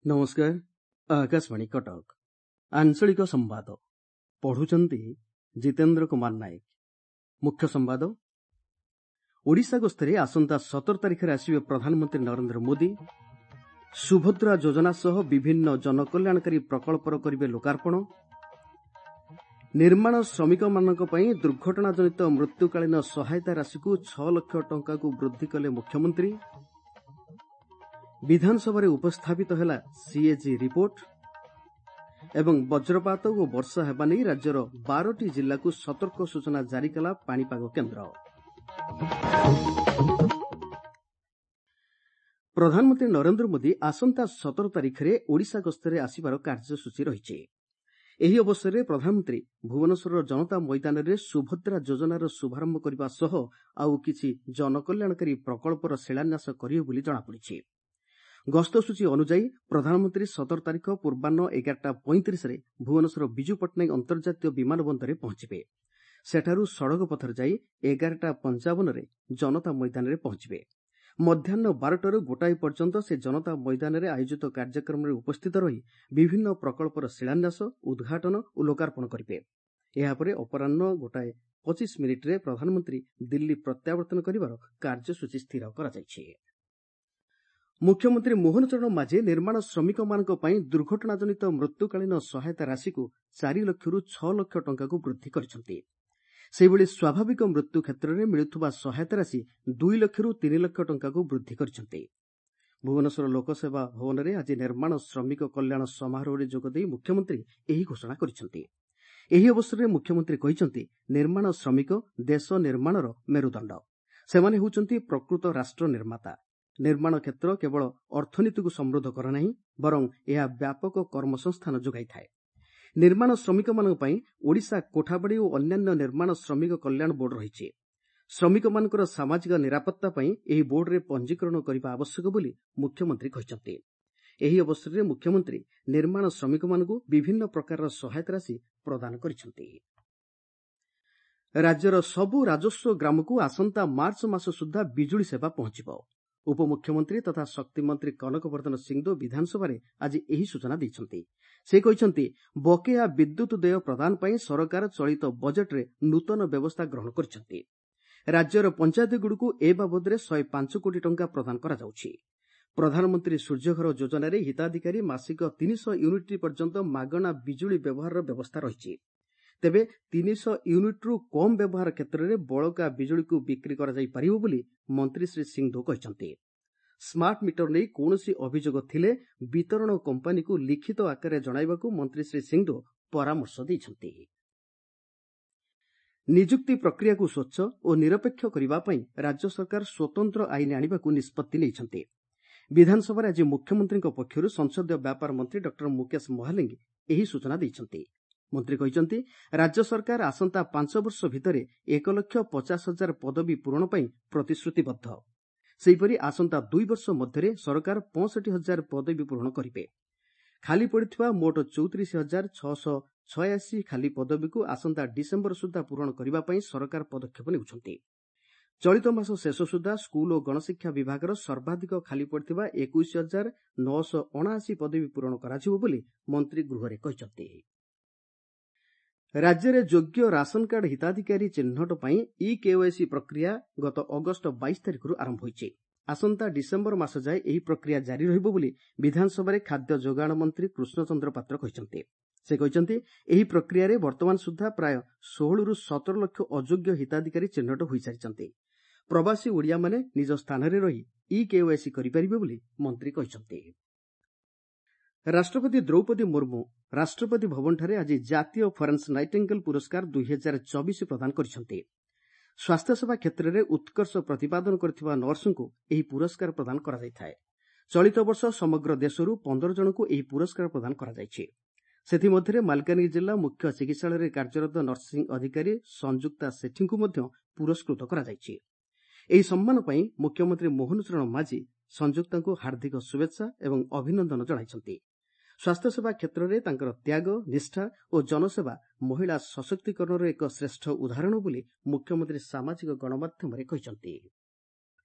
ନମସ୍କାର, ଆକାଶବାଣୀ କଟକ। ଆଞ୍ଚଳିକ ସମ୍ବାଦ ପଢୁଛନ୍ତି ଜିତେନ୍ଦ୍ର କୁମାର ନାୟକ। ମୁଖ୍ୟ ସମ୍ବାଦ। ଓଡ଼ିଶା ଗସ୍ତରେ ଆସନ୍ତା 17 ତାରିଖରେ ଆସିବେ ପ୍ରଧାନମନ୍ତ୍ରୀ ନରେନ୍ଦ୍ର ମୋଦି। ସୁଭଦ୍ରା ଯୋଜନା ସହ ବିଭିନ୍ନ ଜନକଲ୍ୟାଣକାରୀ ପ୍ରକଳ୍ପର କରିବେ ଲୋକାର୍ପଣ। ନିର୍ମାଣ ଶ୍ରମିକମାନଙ୍କ ପାଇଁ ଦୁର୍ଘଟଣାଜନିତ ମୃତ୍ୟୁକାଳୀନ ସହାୟତା ରାଶିକୁ 6 ଲକ୍ଷ ଟଙ୍କାକୁ ବୃଦ୍ଧି କଲେ ମୁଖ୍ୟମନ୍ତ୍ରୀ। ବିଧାନସଭାରେ ଉପସ୍ଥାପିତ ହେଲା ସିଏଜି ରିପୋର୍ଟ। ଏବଂ ବଜ୍ରପାତ ଓ ବର୍ଷା ହେବା ନେଇ ରାଜ୍ୟର 12ଟି ଜିଲ୍ଲାକୁ ସତର୍କ ସୂଚନା ଜାରି କଲା ପାଣିପାଗ କେନ୍ଦ୍ର। ପ୍ରଧାନମନ୍ତ୍ରୀ ନରେନ୍ଦ୍ର ମୋଦି ଆସନ୍ତା 17 ତାରିଖରେ ଓଡ଼ିଶା ଗସ୍ତରେ ଆସିବାର କାର୍ଯ୍ୟସୂଚୀ ରହିଛି। ଏହି ଅବସରରେ ପ୍ରଧାନମନ୍ତ୍ରୀ ଭୁବନେଶ୍ୱରର ଜନତା ମଇଦାନରେ ସୁଭଦ୍ରା ଯୋଜନାର ଶୁଭାରମ୍ଭ କରିବା ସହ ଆଉ କିଛି ଜନକଲ୍ୟାଣକାରୀ ପ୍ରକଳ୍ପର ଶିଳାନ୍ୟାସ କରିବେ ବୋଲି ଜଣାପଡ଼ିଛି। ଗସ୍ତସୂଚୀ ଅନୁଯାୟୀ ପ୍ରଧାନମନ୍ତ୍ରୀ 17 ତାରିଖ ପୂର୍ବାହ୍ନ 11:35ରେ ଭୁବନେଶ୍ୱର ବିଜୁ ପଟ୍ଟନାୟକ ଅନ୍ତର୍ଜାତୀୟ ବିମାନ ବନ୍ଦରରେ ପହଞ୍ଚିବେ। ସେଠାରୁ ସଡ଼କ ପଥରେ ଯାଇ 11:55ରେ ଜନତା ମଇଦାନରେ ପହଞ୍ଚିବେ। ମଧ୍ୟାହ୍ନ 12ଟାରୁ 1 ପର୍ଯ୍ୟନ୍ତ ସେ ଜନତା ମଇଦାନରେ ଆୟୋଜିତ କାର୍ଯ୍ୟକ୍ରମରେ ଉପସ୍ଥିତ ରହି ବିଭିନ୍ନ ପ୍ରକଳ୍ପର ଶିଳାନ୍ୟାସ, ଉଦ୍ଘାଟନ ଓ ଲୋକାର୍ପଣ କରିବେ। ଏହାପରେ ଅପରାହ୍ନ 1:25ରେ ପ୍ରଧାନମନ୍ତ୍ରୀ ଦିଲ୍ଲୀ ପ୍ରତ୍ୟାବର୍ତ୍ତନ କରିବାର କାର୍ଯ୍ୟସୂଚୀ ସ୍ଥିର କରାଯାଇଛି। ମୁଖ୍ୟମନ୍ତ୍ରୀ ମୋହନ ଚରଣ ମାଝୀ ନିର୍ମାଣ ଶ୍ରମିକମାନଙ୍କ ପାଇଁ ଦୁର୍ଘଟଣାଜନିତ ମୃତ୍ୟୁକାଳୀନ ସହାୟତା ରାଶିକୁ 4 ଲକ୍ଷରୁ 6 ଲକ୍ଷ ଟଙ୍କାକୁ ବୃଦ୍ଧି କରିଛନ୍ତି। ସେହିଭଳି ସ୍ୱାଭାବିକ ମୃତ୍ୟୁ କ୍ଷେତ୍ରରେ ମିଳୁଥିବା ସହାୟତା ରାଶି 2 ଲକ୍ଷରୁ 3 ଲକ୍ଷ ଟଙ୍କାକୁ ବୃଦ୍ଧି କରିଛନ୍ତି। ଭୁବନେଶ୍ୱର ଲୋକସେବା ଭବନରେ ଆଜି ନିର୍ମାଣ ଶ୍ରମିକ କଲ୍ୟାଣ ସମାରୋହରେ ଯୋଗଦେଇ ମୁଖ୍ୟମନ୍ତ୍ରୀ ଏହି ଘୋଷଣା କରିଛନ୍ତି। ଏହି ଅବସରରେ ମୁଖ୍ୟମନ୍ତ୍ରୀ କହିଛନ୍ତି, ନିର୍ମାଣ ଶ୍ରମିକ ଦେଶ ନିର୍ମାଣର ମେରୁଦଣ୍ଡ। ସେମାନେ ହେଉଛନ୍ତି ପ୍ରକୃତ ରାଷ୍ଟ୍ର ନିର୍ମାତା। ନିର୍ମାଣ କ୍ଷେତ୍ର କେବଳ ଅର୍ଥନୀତିକୁ ସମୃଦ୍ଧ କରେ ନାହିଁ, ବରଂ ଏହା ବ୍ୟାପକ କର୍ମସଂସ୍ଥାନ ଯୋଗାଇଥାଏ। ନିର୍ମାଣ ଶ୍ରମିକମାନଙ୍କ ପାଇଁ ଓଡ଼ିଶା କୋଠାବାଡ଼ି ଓ ଅନ୍ୟାନ୍ୟ ନିର୍ମାଣ ଶ୍ରମିକ କଲ୍ୟାଣ ବୋର୍ଡ ରହିଛି। ଶ୍ରମିକମାନଙ୍କର ସାମାଜିକ ନିରାପତ୍ତା ପାଇଁ ଏହି ବୋର୍ଡରେ ପଞ୍ଜୀକରଣ କରିବା ଆବଶ୍ୟକ ବୋଲି ମୁଖ୍ୟମନ୍ତ୍ରୀ କହିଛନ୍ତି। ଏହି ଅବସରରେ ମୁଖ୍ୟମନ୍ତ୍ରୀ ନିର୍ମାଣ ଶ୍ରମିକମାନଙ୍କୁ ବିଭିନ୍ନ ପ୍ରକାରର ସହାୟତା ରାଶି ପ୍ରଦାନ କରିଛନ୍ତି। ରାଜ୍ୟର ସବୁ ରାଜସ୍ୱ ଗ୍ରାମକୁ ଆସନ୍ତା ମାର୍ଚ୍ଚ ମାସ ସୁଦ୍ଧା ବିଜୁଳି ସେବା ପହଞ୍ଚିବ। ଉପମୁଖ୍ୟମନ୍ତ୍ରୀ ତଥା ଶକ୍ତିମନ୍ତ୍ରୀ କନକ ବର୍ଦ୍ଧନ ସିଂଦେଓ ବିଧାନସଭାରେ ଆଜି ଏହି ସୂଚନା ଦେଇଛନ୍ତି। ସେ କହିଛନ୍ତି, ବକେୟା ବିଦ୍ୟୁତ୍ ଦେୟ ପ୍ରଦାନ ପାଇଁ ସରକାର ଚଳିତ ବଜେଟ୍ରେ ନୂତନ ବ୍ୟବସ୍ଥା ଗ୍ରହଣ କରିଛନ୍ତି। ରାଜ୍ୟର ପଞ୍ଚାୟତଗୁଡ଼ିକୁ ଏ ବାବଦରେ 105 କୋଟି ଟଙ୍କା ପ୍ରଦାନ କରାଯାଉଛି। ପ୍ରଧାନମନ୍ତ୍ରୀ ସୂର୍ଯ୍ୟଘର ଯୋଜନାରେ ହିତାଧିକାରୀ ମାସିକ 300 ୟୁନିଟ୍ ପର୍ଯ୍ୟନ୍ତ ମାଗଣା ବିଜୁଳି ବ୍ୟବହାରର ବ୍ୟବସ୍ଥା ରହିଛି। ତେବେ 300 ୟୁନିଟ୍ରୁ କମ୍ ବ୍ୟବହାର କ୍ଷେତ୍ରରେ ବଳକା ବିଜୁଳିକୁ ବିକ୍ରି କରାଯାଇପାରିବ ବୋଲି ମନ୍ତ୍ରୀ ଶ୍ରୀ ସିଂଦେଓ କହିଛନ୍ତି। ସ୍ମାର୍ଟ ମିଟର ନେଇ କୌଣସି ଅଭିଯୋଗ ଥିଲେ ବିତରଣ କମ୍ପାନୀକୁ ଲିଖିତ ଆକାରରେ ଜଣାଇବାକୁ ମନ୍ତ୍ରୀ ଶ୍ରୀ ସିଂଦେଓ ପରାମର୍ଶ ଦେଇଛନ୍ତି। ନିଯୁକ୍ତି ପ୍ରକ୍ରିୟାକୁ ସ୍ୱଚ୍ଛ ଓ ନିରପେକ୍ଷ କରିବା ପାଇଁ ରାଜ୍ୟ ସରକାର ସ୍ୱତନ୍ତ୍ର ଆଇନ ଆଣିବାକୁ ନିଷ୍ପତ୍ତି ନେଇଛନ୍ତି। ବିଧାନସଭାରେ ଆଜି ମୁଖ୍ୟମନ୍ତ୍ରୀଙ୍କ ପକ୍ଷରୁ ସଂସଦୀୟ ବ୍ୟାପାର ମନ୍ତ୍ରୀ ଡକ୍ଟର ମୁକେଶ ମହାଲିଙ୍ଗ ଏହି ସୂଚନା ଦେଇଛନ୍ତି। ମନ୍ତ୍ରୀ କହିଛନ୍ତି, ରାଜ୍ୟ ସରକାର ଆସନ୍ତା 5 ବର୍ଷ ଭିତରେ 1,50,000 ପଦବୀ ପୂରଣ ପାଇଁ ପ୍ରତିଶ୍ରୁତିବଦ୍ଧ। ସେହିପରି ଆସନ୍ତା 2 ବର୍ଷ ମଧ୍ୟରେ ସରକାର 65,000 ପଦବୀ ପୂରଣ କରିବେ। ଖାଲି ପଡ଼ିଥିବା ମୋଟ 34,686 ଖାଲି ପଦବୀକୁ ଆସନ୍ତା ଡିସେମ୍ବର ସୁଦ୍ଧା ପୂରଣ କରିବା ପାଇଁ ସରକାର ପଦକ୍ଷେପ ନେଉଛନ୍ତି। ଚଳିତ ମାସ ଶେଷ ସୁଦ୍ଧା ସ୍କୁଲ ଓ ଗଣଶିକ୍ଷା ବିଭାଗର ସର୍ବାଧିକ ଖାଲି ପଡ଼ିଥିବା 21,979 ପଦବୀ ପୂରଣ କରାଯିବ ବୋଲି ମନ୍ତ୍ରୀ ଗୃହରେ କହିଛନ୍ତି। ରାଜ୍ୟରେ ଯୋଗ୍ୟ ରାସନକାର୍ଡ ହିତାଧିକାରୀ ଚିହ୍ନଟ ପାଇଁ ଇ କେୱାଇସି ପ୍ରକ୍ରିୟା ଗତ ଅଗଷ୍ଟ 22 ତାରିଖରୁ ଆରମ୍ଭ ହୋଇଛି। ଆସନ୍ତା ଡିସେମ୍ବର ମାସ ଯାଏ ଏହି ପ୍ରକ୍ରିୟା ଜାରି ରହିବ ବୋଲି ବିଧାନସଭାରେ ଖାଦ୍ୟ ଯୋଗାଣ ମନ୍ତ୍ରୀ କୃଷ୍ଣଚନ୍ଦ୍ର ପାତ୍ର କହିଛନ୍ତି। ସେ କହିଛନ୍ତି, ଏହି ପ୍ରକ୍ରିୟାରେ ବର୍ତ୍ତମାନ ସୁଦ୍ଧା ପ୍ରାୟ 16ରୁ 17 ଲକ୍ଷ ଅଯୋଗ୍ୟ ହିତାଧିକାରୀ ଚିହ୍ନଟ ହୋଇସାରିଛନ୍ତି। ପ୍ରବାସୀ ଓଡ଼ିଆମାନେ ନିଜ ସ୍ଥାନରେ ରହି ଇ କେୱାଇସି କରିପାରିବେ ବୋଲି ମନ୍ତ୍ରୀ କହିଛନ୍ତି। ରାଷ୍ଟ୍ରପତି ଦ୍ରୌପଦୀ ମୁର୍ମୁ ରାଷ୍ଟ୍ରପତି ଭବନଠାରେ ଆଜି ଜାତୀୟ ଫରେନ୍ସ ନାଇଟିଙ୍ଗେଲ୍ ପୁରସ୍କାର 2024 ପ୍ରଦାନ କରିଛନ୍ତି। ସ୍ୱାସ୍ଥ୍ୟସେବା କ୍ଷେତ୍ରରେ ଉତ୍କର୍ଷ ପ୍ରତିପାଦନ କରିଥିବା ନର୍ସଙ୍କୁ ଏହି ପୁରସ୍କାର ପ୍ରଦାନ କରାଯାଇଥାଏ। ଚଳିତ ବର୍ଷ ସମଗ୍ର ଦେଶରୁ 15 ଜଣଙ୍କୁ ଏହି ପୁରସ୍କାର ପ୍ରଦାନ କରାଯାଇଛି। ସେଥିମଧ୍ୟରେ ମାଲକାନଗିରି ଜିଲ୍ଲା ମୁଖ୍ୟ ଚିକିତ୍ସାଳୟରେ କାର୍ଯ୍ୟରତ ନର୍ସିଂ ଅଧିକାରୀ ସଂଯୁକ୍ତା ସେଠୀଙ୍କୁ ମଧ୍ୟ ପୁରସ୍କୃତ କରାଯାଇଛି। ଏହି ସମ୍ମାନ ପାଇଁ ମୁଖ୍ୟମନ୍ତ୍ରୀ ମୋହନ ଚରଣ ମାଝୀ ସଂଯୁକ୍ତାଙ୍କୁ ହାର୍ଦ୍ଦିକ ଶୁଭେଚ୍ଛା ଏବଂ ଅଭିନନ୍ଦନ ଜଣାଇଛନ୍ତି। ସ୍ୱାସ୍ଥ୍ୟସେବା କ୍ଷେତ୍ରରେ ତାଙ୍କର ତ୍ୟାଗ, ନିଷ୍ଠା ଓ ଜନସେବା ମହିଳା ସଶକ୍ତିକରଣର ଏକ ଶ୍ରେଷ୍ଠ ଉଦାହରଣ ବୋଲି ମୁଖ୍ୟମନ୍ତ୍ରୀ ସାମାଜିକ ଗଣମାଧ୍ୟମରେ କହିଛନ୍ତି।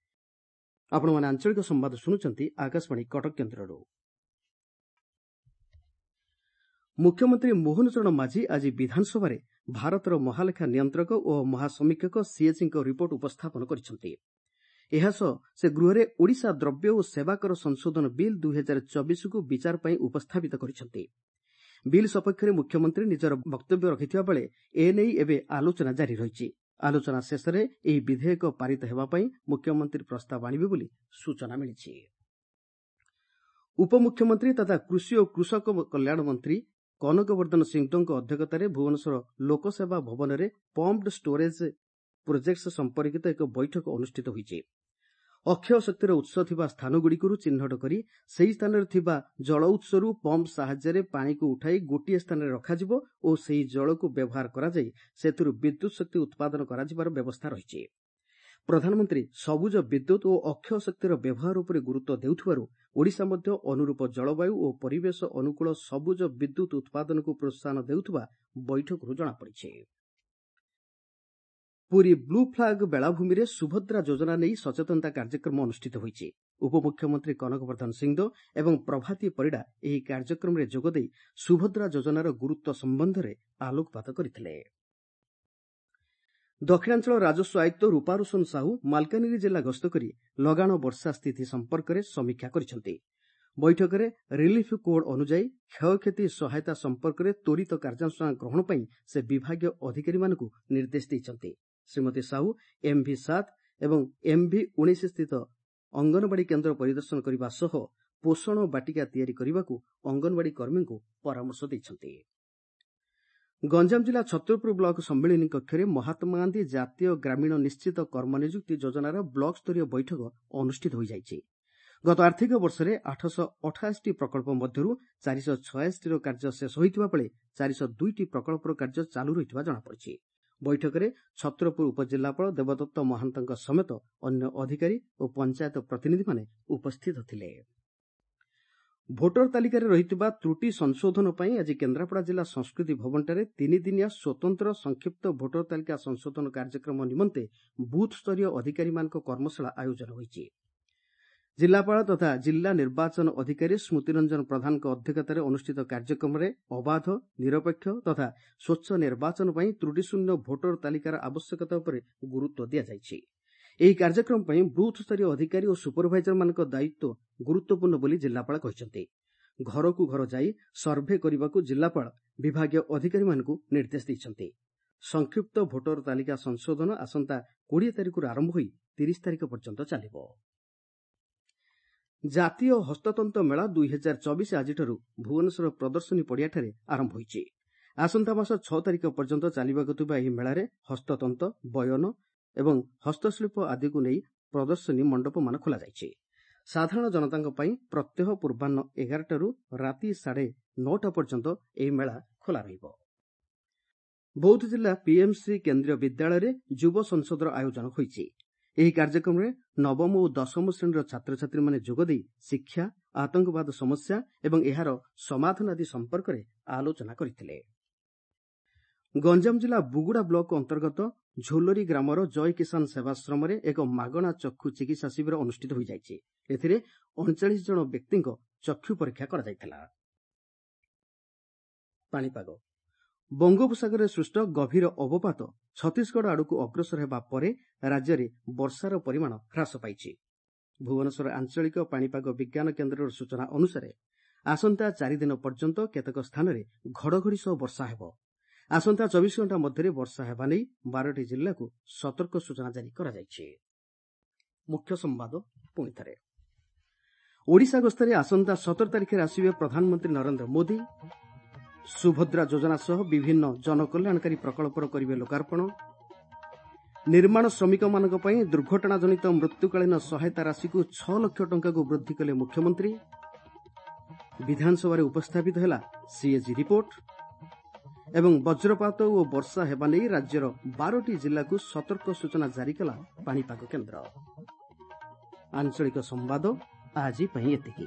ଆପଣମାନେ ଆଞ୍ଚଳିକ ସମ୍ବାଦ ଶୁଣୁଛନ୍ତି ଆକାଶବାଣୀ କଟକ କେନ୍ଦ୍ରରୁ। ମୁଖ୍ୟମନ୍ତ୍ରୀ ମୋହନ ଚରଣ ମାଝୀ ଆଜି ବିଧାନସଭାରେ ଭାରତର ମହାଲେଖା ନିୟନ୍ତ୍ରକ ଓ ମହାସମୀକ୍ଷକ ସିଏଜିଙ୍କ ରିପୋର୍ଟ ଉପସ୍ଥାପନ କରିଛନ୍ତି। ଏହାସହ ସେ ଗୃହରେ ଓଡ଼ିଶା ଦ୍ରବ୍ୟ ଓ ସେବାକର ସଂଶୋଧନ ବିଲ୍ 2024କୁ ବିଚାର ପାଇଁ ଉପସ୍ଥାପିତ କରିଛନ୍ତି। ବିଲ୍ ସପକ୍ଷରେ ମୁଖ୍ୟମନ୍ତ୍ରୀ ନିଜର ବକ୍ତବ୍ୟ ରଖିଥିବା ବେଳେ ଏନେଇ ଏବେ ଆଲୋଚନା ଜାରି ରହିଛି। ଆଲୋଚନା ଶେଷରେ ଏହି ବିଧେୟକ ପାରିତ ହେବା ପାଇଁ ମୁଖ୍ୟମନ୍ତ୍ରୀ ପ୍ରସ୍ତାବ ଆଣିବେ ବୋଲି ସୂଚନା ମିଳିଛି। ଉପମୁଖ୍ୟମନ୍ତ୍ରୀ ତଥା କୃଷି ଓ କୃଷକ କଲ୍ୟାଣ ମନ୍ତ୍ରୀ କନକବର୍ଦ୍ଧନ ସିଂଦେଓଙ୍କ ଅଧ୍ୟକ୍ଷତାରେ ଭୁବନେଶ୍ୱର ଲୋକସେବା ଭବନରେ ପମ୍ପଡ୍ ଷ୍ଟୋରେଜ୍ ପ୍ରୋଜେକ୍ଟସ୍ ସମ୍ପର୍କିତ ଏକ ବୈଠକ ଅନୁଷ୍ଠିତ ହୋଇଛି। ଅକ୍ଷୟ ଶକ୍ତିର ଉତ୍ସ ଥିବା ସ୍ଥାନଗୁଡ଼ିକରୁ ଚିହ୍ନଟ କରି ସେହି ସ୍ଥାନରେ ଥିବା ଜଳ ଉତ୍ସରୁ ପମ୍ପ ସାହାଯ୍ୟରେ ପାଣିକୁ ଉଠାଇ ଗୋଟିଏ ସ୍ଥାନରେ ରଖାଯିବ ଓ ସେହି ଜଳକୁ ବ୍ୟବହାର କରାଯାଇ ସେଥିରୁ ବିଦ୍ୟୁତ୍ ଶକ୍ତି ଉତ୍ପାଦନ କରାଯିବାର ବ୍ୟବସ୍ଥା ରହିଛି। ପ୍ରଧାନମନ୍ତ୍ରୀ ସବୁଜ ବିଦ୍ୟୁତ୍ ଓ ଅକ୍ଷୟ ଶକ୍ତିର ବ୍ୟବହାର ଉପରେ ଗୁରୁତ୍ୱ ଦେଉଥିବାରୁ ଓଡ଼ିଶା ମଧ୍ୟ ଅନୁରୂପ ଜଳବାୟୁ ଓ ପରିବେଶ ଅନୁକୂଳ ସବୁଜ ବିଦ୍ୟୁତ୍ ଉତ୍ପାଦନକୁ ପ୍ରୋତ୍ସାହନ ଦେଉଥିବା ବୈଠକରୁ ଜଣାପଡ଼ିଛି। ପୁରୀ ବ୍ଲୁ ଫ୍ଲାଗ ବେଳାଭୂମିରେ ସୁଭଦ୍ରା ଯୋଜନା ନେଇ ସଚେତନତା କାର୍ଯ୍ୟକ୍ରମ ଅନୁଷ୍ଠିତ ହୋଇଛି। ଉପମୁଖ୍ୟମନ୍ତ୍ରୀ କନକବର୍ଦ୍ଧନ ସିଂଦେଓ ଏବଂ ପ୍ରଭାତୀ ପରିଡ଼ା ଏହି କାର୍ଯ୍ୟକ୍ରମରେ ଯୋଗଦେଇ ସୁଭଦ୍ରା ଯୋଜନାର ଗୁରୁତ୍ୱ ସମ୍ବନ୍ଧରେ ଆଲୋକପାତ କରିଥିଲେ। ଦକ୍ଷିଣାଞ୍ଚଳ ରାଜସ୍ୱ ଆୟୁକ୍ତ ରୂପାରୋଶନ ସାହୁ ମାଲକାନଗିରି ଜିଲ୍ଲା ଗସ୍ତ କରି ଲଗାଣ ବର୍ଷା ସ୍ଥିତି ସମ୍ପର୍କରେ ସମୀକ୍ଷା କରିଛନ୍ତି। ବୈଠକରେ ରିଲିଫ୍ କୋଡ୍ ଅନୁଯାୟୀ କ୍ଷୟକ୍ଷତି ସହାୟତା ସମ୍ପର୍କରେ ତ୍ୱରିତ କାର୍ଯ୍ୟାନୁଷ୍ଠାନ ଗ୍ରହଣ ପାଇଁ ସେ ବିଭାଗୀୟ ଅଧିକାରୀମାନଙ୍କୁ ନିର୍ଦ୍ଦେଶ ଦେଇଛନ୍ତି। ଶ୍ରୀମତୀ ସାହୁ ଏମ୍ଭି 7 ଏବଂ ଏମ୍ଭି 19 ସ୍ଥିତ ଅଙ୍ଗନବାଡ଼ି କେନ୍ଦ୍ର ପରିଦର୍ଶନ କରିବା ସହ ପୋଷଣ ବାଟିକା ତିଆରି କରିବାକୁ ଅଙ୍ଗନବାଡ଼ି କର୍ମୀଙ୍କୁ ପରାମର୍ଶ ଦେଇଛନ୍ତି। ଗଞ୍ଜାମ ଜିଲ୍ଲା ଛତ୍ରପୁର ବ୍ଲକ ସମ୍ମିଳନୀ କକ୍ଷରେ ମହାତ୍ମାଗାନ୍ଧୀ ଜାତୀୟ ଗ୍ରାମୀଣ ନିଶ୍ଚିତ କର୍ମନିଯୁକ୍ତି ଯୋଜନାର ବ୍ଲକ ସ୍ତରୀୟ ବୈଠକ ଅନୁଷ୍ଠିତ ହୋଇଯାଇଛି। ଗତ ଆର୍ଥିକ ବର୍ଷରେ 888ଟି ପ୍ରକଳ୍ପ ମଧ୍ୟରୁ 486ଟିର କାର୍ଯ୍ୟ ଶେଷ ହୋଇଥିବା ବେଳେ 402ଟି ପ୍ରକଳ୍ପର କାର୍ଯ୍ୟ ଚାଲୁ ରହିଥିବା ଜଣାପଡ଼ିଛି। ବୈଠକରେ ଛତ୍ରପୁର ଉପଜିଲ୍ଲାପାଳ ଦେବଦତ୍ତ ମହାନ୍ତଙ୍କ ସମେତ ଅନ୍ୟ ଅଧିକାରୀ ଓ ପଞ୍ଚାୟତ ପ୍ରତିନିଧିମାନେ ଉପସ୍ଥିତ ଥିଲେ। ଭୋଟର ତାଲିକାରେ ରହିଥିବା ତ୍ରୁଟି ସଂଶୋଧନ ପାଇଁ ଆଜି କେନ୍ଦ୍ରାପଡ଼ା ଜିଲ୍ଲା ସଂସ୍କୃତି ଭବନଠାରେ ତିନିଦିନିଆ ସ୍ୱତନ୍ତ୍ର ସଂକ୍ଷିପ୍ତ ଭୋଟର ତାଲିକା ସଂଶୋଧନ କାର୍ଯ୍ୟକ୍ରମ ନିମନ୍ତେ ବୁଥ୍ ସ୍ତରୀୟ ଅଧିକାରୀମାନଙ୍କ କର୍ମଶାଳା ଆୟୋଜନ ହୋଇଛି। ଜିଲ୍ଲାପାଳ ତଥା ଜିଲ୍ଲା ନିର୍ବାଚନ ଅଧିକାରୀ ସ୍ମୃତିରଞ୍ଜନ ପ୍ରଧାନଙ୍କ ଅଧ୍ୟକ୍ଷତାରେ ଅନୁଷ୍ଠିତ କାର୍ଯ୍ୟକ୍ରମରେ ଅବାଧ, ନିରପେକ୍ଷ ତଥା ସ୍ୱଚ୍ଛ ନିର୍ବାଚନ ପାଇଁ ତ୍ରୁଟିଶୂନ୍ୟ ଭୋଟର ତାଲିକାର ଆବଶ୍ୟକତା ଉପରେ ଗୁରୁତ୍ୱ ଦିଆଯାଇଛି। ଏହି କାର୍ଯ୍ୟକ୍ରମ ପାଇଁ ବୁଥ୍ ସ୍ତରୀୟ ଅଧିକାରୀ ଓ ସୁପରଭାଇଜରମାନଙ୍କ ଦାୟିତ୍ୱ ଗୁରୁତ୍ୱପୂର୍ଣ୍ଣ ବୋଲି ଜିଲ୍ଲାପାଳ କହିଛନ୍ତି। ଘରକୁ ଘର ଯାଇ ସର୍ଭେ କରିବାକୁ ଜିଲ୍ଲାପାଳ ବିଭାଗୀୟ ଅଧିକାରୀମାନଙ୍କୁ ନିର୍ଦ୍ଦେଶ ଦେଇଛନ୍ତି। ସଂକ୍ଷିପ୍ତ ଭୋଟର ତାଲିକା ସଂଶୋଧନ ଆସନ୍ତା 20 ତାରିଖରୁ ଆରମ୍ଭ ହୋଇ 30 ତାରିଖ ପର୍ଯ୍ୟନ୍ତ ଚାଲିବ। ଜାତୀୟ ହସ୍ତତନ୍ତ ମେଳା 2024 ଆଜିଠାରୁ ଭୁବନେଶ୍ୱର ପ୍ରଦର୍ଶନୀ ପଡ଼ିଆଠାରେ ଆରମ୍ଭ ହୋଇଛି। ଆସନ୍ତା ମାସ 6 ତାରିଖ ପର୍ଯ୍ୟନ୍ତ ଚାଲିବାକୁ ଥିବା ଏହି ମେଳାରେ ହସ୍ତତନ୍ତ, ବୟନ ଏବଂ ହସ୍ତଶିଳ୍ପ ଆଦିକୁ ନେଇ ପ୍ରଦର୍ଶନୀ ମଣ୍ଡପମାନ ଖୋଲାଯାଇଛି। ସାଧାରଣ ଜନତାଙ୍କ ପାଇଁ ପ୍ରତ୍ୟହ ପୂର୍ବାହ୍ନ 11ଟାରୁ ରାତି 9:30 ପର୍ଯ୍ୟନ୍ତ ଏହି ମେଳା ଖୋଲା ରହିବ। ବୌଦ୍ଧ ଜିଲ୍ଲା ପିଏମ୍ସି କେନ୍ଦ୍ରୀୟ ବିଦ୍ୟାଳୟରେ ଯୁବ ସଂସଦର ଆୟୋଜନ ହୋଇଛି। ଏହି କାର୍ଯ୍ୟକ୍ରମରେ ନବମ ଓ ଦଶମ ଶ୍ରେଣୀର ଛାତ୍ରଛାତ୍ରୀମାନେ ଯୋଗଦେଇ ଶିକ୍ଷା, ଆତଙ୍କବାଦ ସମସ୍ୟା ଏବଂ ଏହାର ସମାଧାନ ଆଦି ସମ୍ପର୍କରେ ଆଲୋଚନା କରିଥିଲେ। ଗଞ୍ଜାମ ଜିଲ୍ଲା ବୁଗୁଡ଼ା ବ୍ଲକ ଅନ୍ତର୍ଗତ ଝୋଲରି ଗ୍ରାମର ଜୟ କିଷାନ ସେବାଶ୍ରମରେ ଏକ ମାଗଣା ଚକ୍ଷୁ ଚିକିତ୍ସା ଶିବିର ଅନୁଷ୍ଠିତ ହୋଇଯାଇଛି। ଏଥିରେ 39 ଜଣ ବ୍ୟକ୍ତିଙ୍କ ଚକ୍ଷୁ ପରୀକ୍ଷା କରାଯାଇଥିଲା। ପାଣିପାଗ ବଙ୍ଗୋପସାଗରରେ ସୃଷ୍ଟ ଗଭୀର ଅବପାତ ଛତିଶଗଡ଼ ଆଡ଼କୁ ଅଗ୍ରସର ହେବା ପରେ ରାଜ୍ୟରେ ବର୍ଷାର ପରିମାଣ ହ୍ରାସ ପାଇଛି। ଭୁବନେଶ୍ୱର ଆଞ୍ଚଳିକ ପାଣିପାଗ ବିଜ୍ଞାନ କେନ୍ଦ୍ରର ସୂଚନା ଅନୁସାରେ ଆସନ୍ତା 4 ଦିନ ପର୍ଯ୍ୟନ୍ତ କେତେକ ସ୍ଥାନରେ ଘଡ଼ଘଡ଼ି ସହ ବର୍ଷା ହେବ। ଆସନ୍ତା 24 ଘଣ୍ଟା ମଧ୍ୟରେ ବର୍ଷା ହେବା ନେଇ 12ଟି ଜିଲ୍ଲାକୁ ସତର୍କ ସୂଚନା ଜାରି କରାଯାଇଛି। ମୁଖ୍ୟ ସମ୍ବାଦ ପୁଣିଥରେ। ଓଡ଼ିଶା ଗସ୍ତରେ ଆସନ୍ତା 17 ତାରିଖରେ ଆସିବେ ପ୍ରଧାନମନ୍ତ୍ରୀ ନରେନ୍ଦ୍ର ମୋଦି। ସୁଭଦ୍ରା ଯୋଜନା ସହ ବିଭିନ୍ନ ଜନକଲ୍ୟାଣକାରୀ ପ୍ରକଳ୍ପର କରିବେ ଲୋକାର୍ପଣ। ନିର୍ମାଣ ଶ୍ରମିକମାନଙ୍କ ପାଇଁ ଦୁର୍ଘଟଣାଜନିତ ମୃତ୍ୟୁକାଳୀନ ସହାୟତା ରାଶିକୁ 6 ଲକ୍ଷ ଟଙ୍କାକୁ ବୃଦ୍ଧି କଲେ ମୁଖ୍ୟମନ୍ତ୍ରୀ। ବିଧାନସଭାରେ ଉପସ୍ଥାପିତ ହେଲା ସିଏଜି ରିପୋର୍ଟ। ଏବଂ ବଜ୍ରପାତ ଓ ବର୍ଷା ହେବା ନେଇ ରାଜ୍ୟର 12ଟି ଜିଲ୍ଲାକୁ ସତର୍କ ସୂଚନା ଜାରି କଲା ପାଣିପାଗ କେନ୍ଦ୍ର। ଆଞ୍ଚଳିକ ସମ୍ବାଦ ଆଜି ପାଇଁ ଏତିକି।